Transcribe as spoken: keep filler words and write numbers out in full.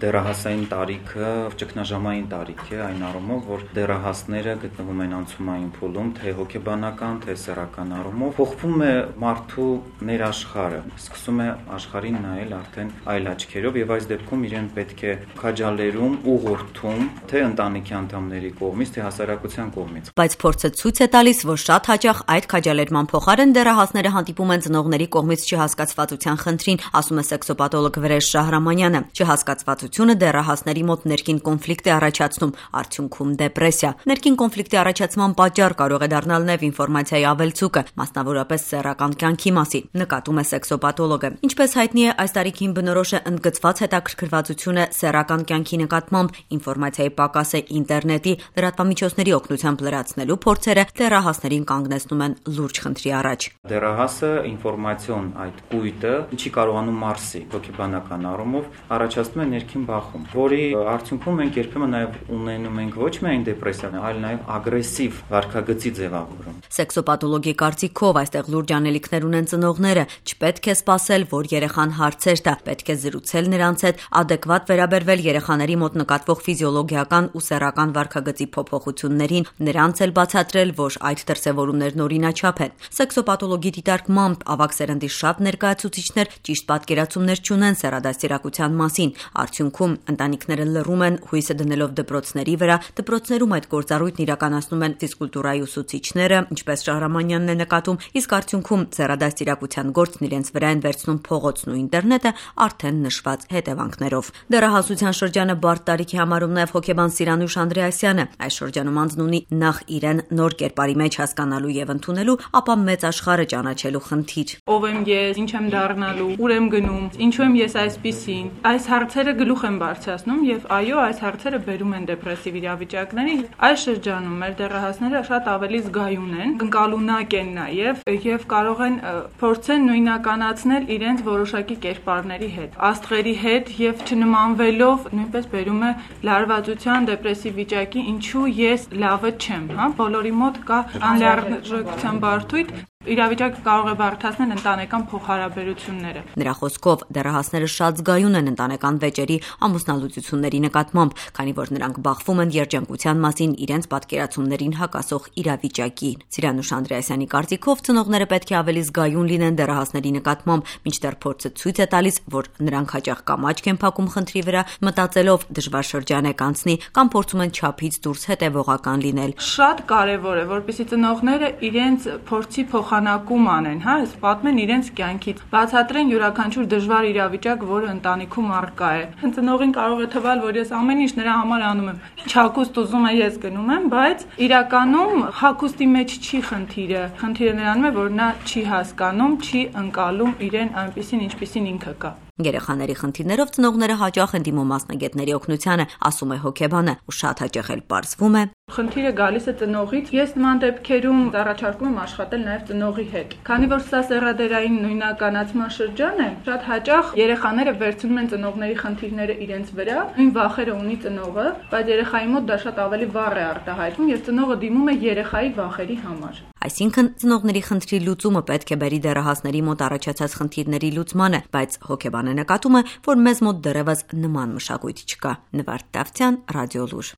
Դեռահասային տարիքը ճգնաժամային տարիք է այն առումով, որ դեռահասները գտնվում են անցումային փուլում, թե հոգեբանական, թե սեռական առումով, փոխվում է մարդու ներաշխարհը, սկսում է աշխարհին նայել արդեն այլ աչքերով եւ այս դեպքում իրեն պետք է քաջալերում, ուղղորդում, թե ընտանիքի անդամների կողմից, թե հասարակության կողմից։ Բայց փորձը ցույց է տալիս, որ շատ հաճախ այդ քաջալերման փոխարեն դեռահասները հանդիպում են ծնողների կողմից չհասկացվածության խնդրին, ասում է սեքսոպաթոլոգ Վրեժ Շահրամանյանը։ Չհասկացվածությունը դեռահասների մոտ ներքին կոնֆլիկտ է առաջացնում, արդյունքում դեպրեսիա։ Ներքին կոնֆլիկտի առաջացման պատճառ կարող է դառնալ նաև ինֆորմացիայի ավելցուկը, մասնավորապես սեռական կյանքի մասին, նկատում է սեքսոպաթոլոգը։ Ինչպես հայտնի է, այս տարիքին բնորոշ է ընդգծված հետաքրքրվածությունը սեռական կյանքի նկատմամբ, ինֆորմացիայի պակասը ինտերնետի, լրատվամիջոցների օգնությամբ լրացնելու փորձերը դեռահասներին կանգնեցնում են լուրջ խնդրի առաջ։ Դեռահասը ինֆորմացիոն այդ կույտը չի կարողանում մարսի, հոգեբանական առումով առաջացնում է ներքին բախում, որի արդյունքում մենք երբեմն նաև ունենում ենք ոչ միայն դեպրեսիա, այլ նաև ագրեսիվ վարքագծի ձևավորում։ Սեքսոպաթոլոգի կարծիքով այստեղ լուրջ անելիքներ ունեն ծնողները, չպետք է սպասել, որ երեխան հարցեր տա, պետք է զրուցել նրանց հետ, ադեկվատ վերաբերվել երեխաների մոտ նկատվող ֆիզիոլոգիական ու սեռական վարքագծի փոփոխություններին, նրանց էլ բացատրել, որ այդ դրսևորումներն օրինաչափ են։ Սեքսոպաթոլոգի դիտարկմամբ ավագ սերնդի շատ ներկայացուցիչներ ճիշտ պատկերացումներ չունեն սեռադաստիարակության մասին։ Արդյունքում ընտանիքները լռում են, հույսը դնելով դպրոցների վրա, դպրոցներում այդ գործառույթն իրականացնում են ֆիզկուլտուրայի ուսուցիչները, ինչպես Շահրամանյանն է նկատում, իսկ արդյունքում սեռադաստիարակության գործն իրենց վրա են վերցնում փողոցն ու ինտերնետը արդեն նշված հետևանքներով։ Դեռահասության շրջանը բարդ տարիքի համարում նաև հոգեբան Սիրանուշ Անդրեասյանը։ Այս շրջանում անձն ունի նախ իրեն նոր կերպարի մեջ հասկանալու եւ ընդունելու, ապա մեծ աշխարհը ճանաչելու խնդիր։ Ով եմ ես, ինչ եմ դառնալու, ուր եմ գնում, ինչու եմ ես այսպիսին։ Այս հարցերը գլուխ են բարձրացնում եւ այո, այս հարցերը բերում են դեպրեսիվ իրավիճակների։ Այս շրջանում մեր դեռահասները շատ ավելի զգայուն են, ընկալունակ են նաեւ եւ կարող են փորձեն նույնականացնել իրենց որոշակի կերպարների հետ, աստղերի հետ եւ չնմանվելով նույնպես բերում է լարվածության, դեպրեսիվ վիճակի, ինչու ես լավը չեմ, հա, բոլորի մոտ կա անլիարժեքության բարդույթ։ Իրավիճակը կարող է բարդացնել ընտանեկան փոխհարաբերությունները։ Նրա խոսքով դեռահասները շատ զգայուն են ընտանեկան վեճերի, ամուսնալուծությունների նկատմամբ, քանի որ նրանք բախվում են երջանկության մասին իրենց պատկերացումներին հակասող իրավիճակի։ Սիրանուշ Անդրեասյանի կարծիքով ծնողները պետք է ավելի զգայուն լինեն դեռահասների նկատմամբ, մինչդեռ փորձը ցույց է տալիս, որ նրանք հաճախ կամ աչք են փակում խնդրի վրա, մտածելով դժվար շրջան է կանցնի, կամ փորձում են չափից դուրս հետևողական լինել։ Շատ կարևոր է, որպեսզի ծնողները իրենց փորձի փոխանակում անեն, հա, այս պատմեն իրենց կյանքից, բացատրեն յուրաքանչյուր դժվար իրավիճակ, որը ընտանիքում առկա է։ Ծնողին կարող է թվալ, որ ես ամեն ինչ նրա համար անում եմ, ինչ հագուստ ուզում է ես գնում եմ, բայց իրականում հագուստի մեջ չի խնդիրը։ Խնդիրը նրանում է, որ նա չի հասկանում, չի ընկալում իրեն այնպիսին, ինչպիսին ինքը կա։ Երեխաների խնդիրներով ծնողները հաճախ են դիմում մասնագետների օգնությանը, ասում է հոգեբանը, ու շատ հաճախ էլ պարզվում է, խնդիրը գալիս է ծնողից։ Ես նման դեպքերում առաջարկում եմ աշխատել նաև ծնողի հետ։ Քանի որ սա սեռադերային նույնականացման շրջան է, շատ հաճախ երեխաները վերցնում են ծնողների խնդիրները իրենց վրա, նույն վախերը ունի ծնողը, բայց երեխայի մոտ դա շատ ավելի վառ է արտահայտվում եւ ծնողը դիմում է երեխայի վախերի համար։ Այսինքն ծնողների խնդրի լուծումը պետք է բերի դեռահասների մոտ առաջացած խնդիրների լուծմանը, բայց հոգեբանը նկատում է, որ մեզ մոտ դեռևս նման մշակույթ չկա։ Նվարդ Դավթյան, Ռադիոլուր։